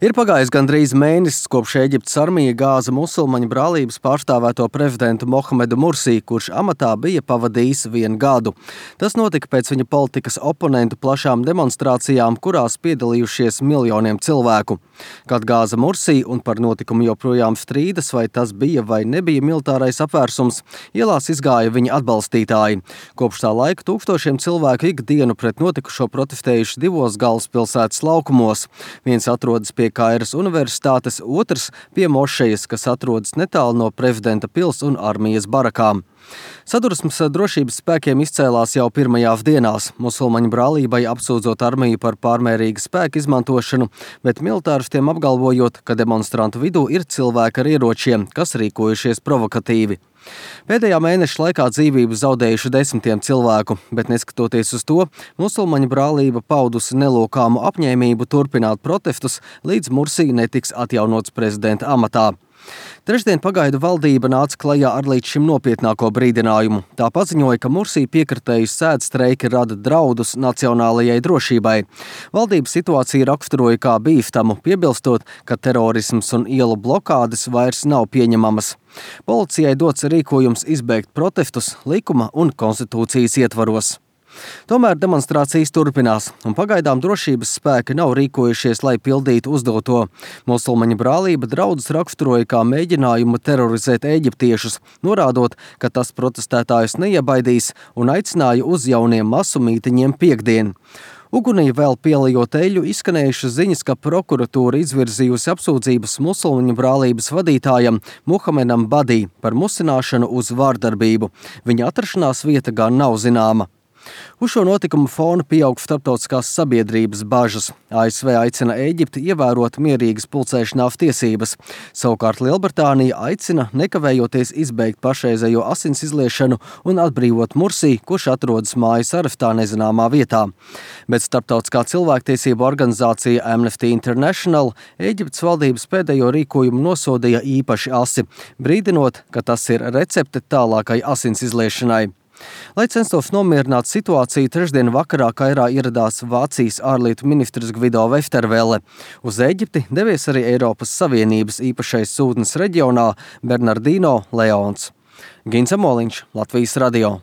Ir pagājis gandrīz mēnesis, kopš Ēģiptes armija gāza musulmaņu brālības pārstāvēto prezidentu Mohamedu Mursī, kurš amatā bija pavadījis 1 gadu. Tas notika pēc viņa politikas oponentu plašām demonstrācijām, kurās piedalījušies miljoniem cilvēku. Kad gāza Mursī un par notikumu joprojām strīdas, vai tas bija vai nebija militārais apvērsums, ielās izgāja viņa atbalstītāji. Kopš tā laika tūkstošiem cilvēku ikdienu pret notikušo protestējuši 2 galvaspilsētas laukumos. Viens atrodas pie Kairas universitātes, otrs pie mošejas, kas atrodas netālu no prezidenta pils un armijas barakām. Sadursmes drošības spēkiem izcēlās jau pirmajās dienās, musulmaņu brālībai apsūdzot armiju par pārmērīgu spēku izmantošanu, bet militāristiem apgalvojot, ka demonstrantu vidū ir cilvēki ar ieročiem, kas rīkojušies provokatīvi. Pēdējā mēneša laikā dzīvību zaudējuši desmitiem cilvēku, bet neskatoties uz to, musulmaņu brālība paudusi nelokāmu apņēmību turpināt protestus, līdz Mursī netiks atjaunots prezidenta amatā. Trešdien pagaidu valdība nāca klajā ar līdz šim nopietnāko brīdinājumu. Tā paziņoja, ka Mursī piekritēju sēdstreiki rada draudus nacionālajai drošībai. Valdība situāciju raksturoja kā bīstamu, piebilstot, ka terorisms un ielu blokādes vairs nav pieņemamas. Policijai dots rīkojums izbeigt protestus likuma un konstitūcijas ietvaros. Tomēr demonstrācijas turpinās, un pagaidām drošības spēki nav rīkojušies, lai pildītu uzdoto. Musulmaņu brālība draudus raksturoja kā mēģinājumu terorizēt eģiptiešus, norādot, ka tas protestētājus neiebaidīs, un aicināja uz jauniem masu mītiņiem piektdien. Ugunī vēl pielejot eļļu izskanējušas ziņas, ka prokuratūra izvirzījusi apsūdzības musulmaņu brālības vadītājam Muhamedam Badī par musināšanu uz vārdarbību. Viņa atrašanās vieta gan nav zināma. Uz šo notikumu fona pieaug starptautiskās sabiedrības bažas. ASV aicina Ēģipti ievērot mierīgas pulcēšanās tiesības. Savukārt Lielbritānija aicina nekavējoties izbeigt pašreizējo asins izliešanu un atbrīvot Mursī, kurš atrodas mājas arestā nezināmā vietā. Bet starptautiskā cilvēktiesību organizācija Amnesty International Ēģiptes valdības pēdējo rīkojumu nosodīja īpaši asi, brīdinot, ka tas ir recepte tālākai asins izliešanai. Lai censtos nomierināt situāciju, trešdien vakarā Kairā ieradās Vācijas ārlietu ministrs Gvido Westervelle. Uz Ēģipti devies arī Eiropas Savienības īpašais sūtnis reģionā Bernardino Leons. Gins Amoliņš, Latvijas radio.